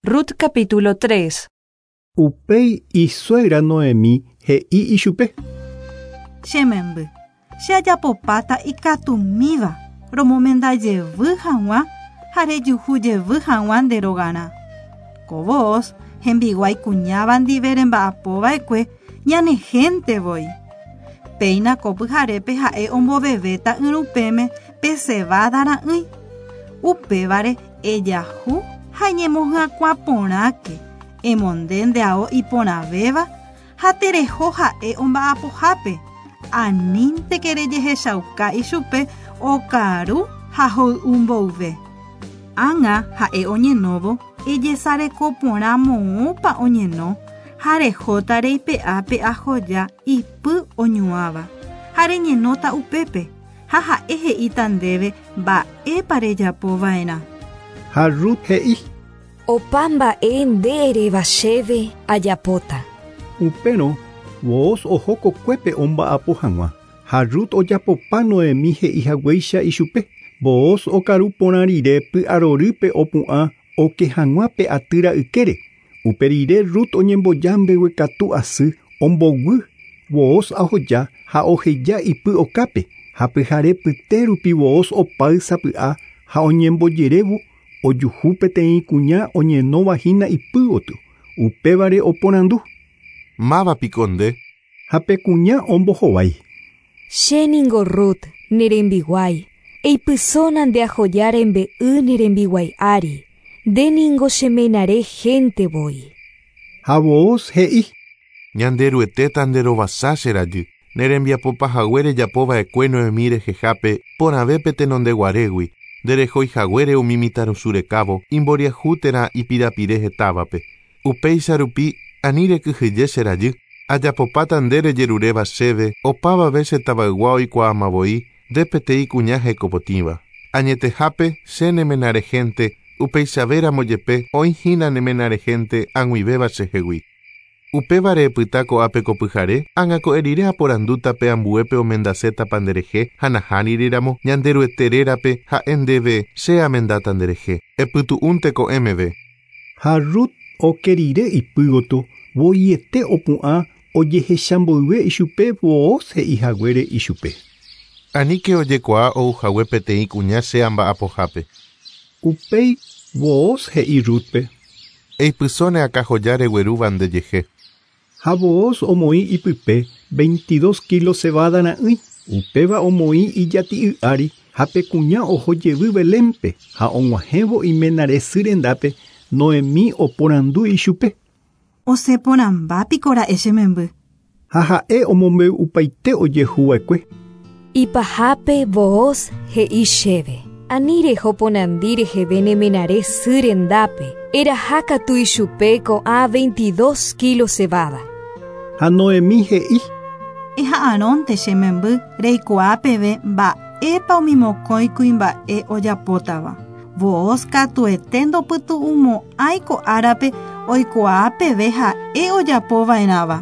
Rut capítulo 3. Upéi isuegra Noemí he'i ichupe. Che memby, che ajapopáta ikatumíva romomenda jevy hag̃ua ha rejuhu jevy hag̃ua nde rogarã. Ko Booz, hembiguái kuñáva ndive remba'apo va'ekue, ñane hénte voi. Péina ko pyharépe ha'e ombovevéta yrupẽme pe cebada ra'ỹi. Upévare ejahu ha eñemohyakuã porãke, emonde nde ao iporãvéva ha tereho ha'e omba'apohápe, anínteke rejehechauka ichupe okaru ha hoy'u mboyve. Ág̃a ha'e oñenóvo, ejesareko porã moõpa oñeno ha rehóta reipe'a pe ahoja ipy oñuãva, ha reñenóta upépe, ha ha'e he'íta ndéve mba'épa rejapo va'erã. Ha Rut he'i. Opa mba'e nde eréva chéve ajapóta. Upérõ Booz oho kokuépe omba'apo hag̃ua, ha Rut ojapopa Noemí he'i haguéicha ichupe. Booz okaru porã rire py'arorýpe opu'ã oke hag̃ua pe atýra ykére. Upe rire Rut oñemboja mbeguekatu asy omboguy Booz ahoja ha oheja ipy okápe, ha pyhare pyte rupi Booz opáy sapy'a ha oñembojerévo ojuhu peteĩ kuña oñenóva hína ipy gotyo, upévare oporandu. Máva piko nde? Ha pe kuña ombohovái. Che ningo Rut, ne rembiguái, eipysóna nde ahoja rembe'y ne rembiguái ári, nde ningo che menare hénte voi. Ha Booz he'i. Ñanderuete tanderovasa che rajy, ne rembiapo pahague rejapo va'ekue Noemí rehehápe porãve pe tenondeguarégui, nderehói haguére umi mitãrusu rekávo imboriahu térã ipirapire hetávape. Upéicha rupi ani rekyhyje che rajy, ajapopáta nde rejeruréva chéve opavave che tavaygua oikuaáma voi nde peteĩ kuña hekopotĩva. Añetehápe che ne menarehénte, upeichavéramo jepe oĩ hína ne menarehénte ag̃uivéva chehegui. Upévare epyta ko'ápe ko pyhare, ág̃a ko'ẽ rire aporandúta pe ambuépe omendasétapa nderehe ha nahániri ramo Ñanderuete rérape ha'e ndéve che amendáta nderehe. Epytu'únte ko'ẽ meve. Ha Rut oke rire ipy gotyo, voiete opu'ã ojehecha mboyve ichupe Booz he'i haguére ichupe. Aníke ojekuaa ou hague peteĩ kuña che amba'apohápe. Upéi Booz he'i Rútpe. Eipyso ne akãjoja reguerúva ndejehe. Ha Booz omoĩ ipype 22 kílo cebada ra'ỹi, upéva omoĩ ijati'y ári ha pe kuña oho jevy Belénpe ha og̃uahẽvo iménare sy rendápe Noemí oporandu ichupe. Osẽ porãmba piko ra'e che memby. Ha ha'e omombe'upaite ojehuva'ekue. Ipahápe Booz he'i chéve, Ani reho ponandi reheve ne menare sy rendápe, eraha katu ichupe ko'ã 22 kílo cebada. Ha Noemí he'i. Eha'arõnte che memby reikuaa peve mba'épa umi mokõi kuimba'e ojapótava. Booz katuete ndopytu'umo'ãi ko árape oikuaa peve ha'e ojapo va'erãva.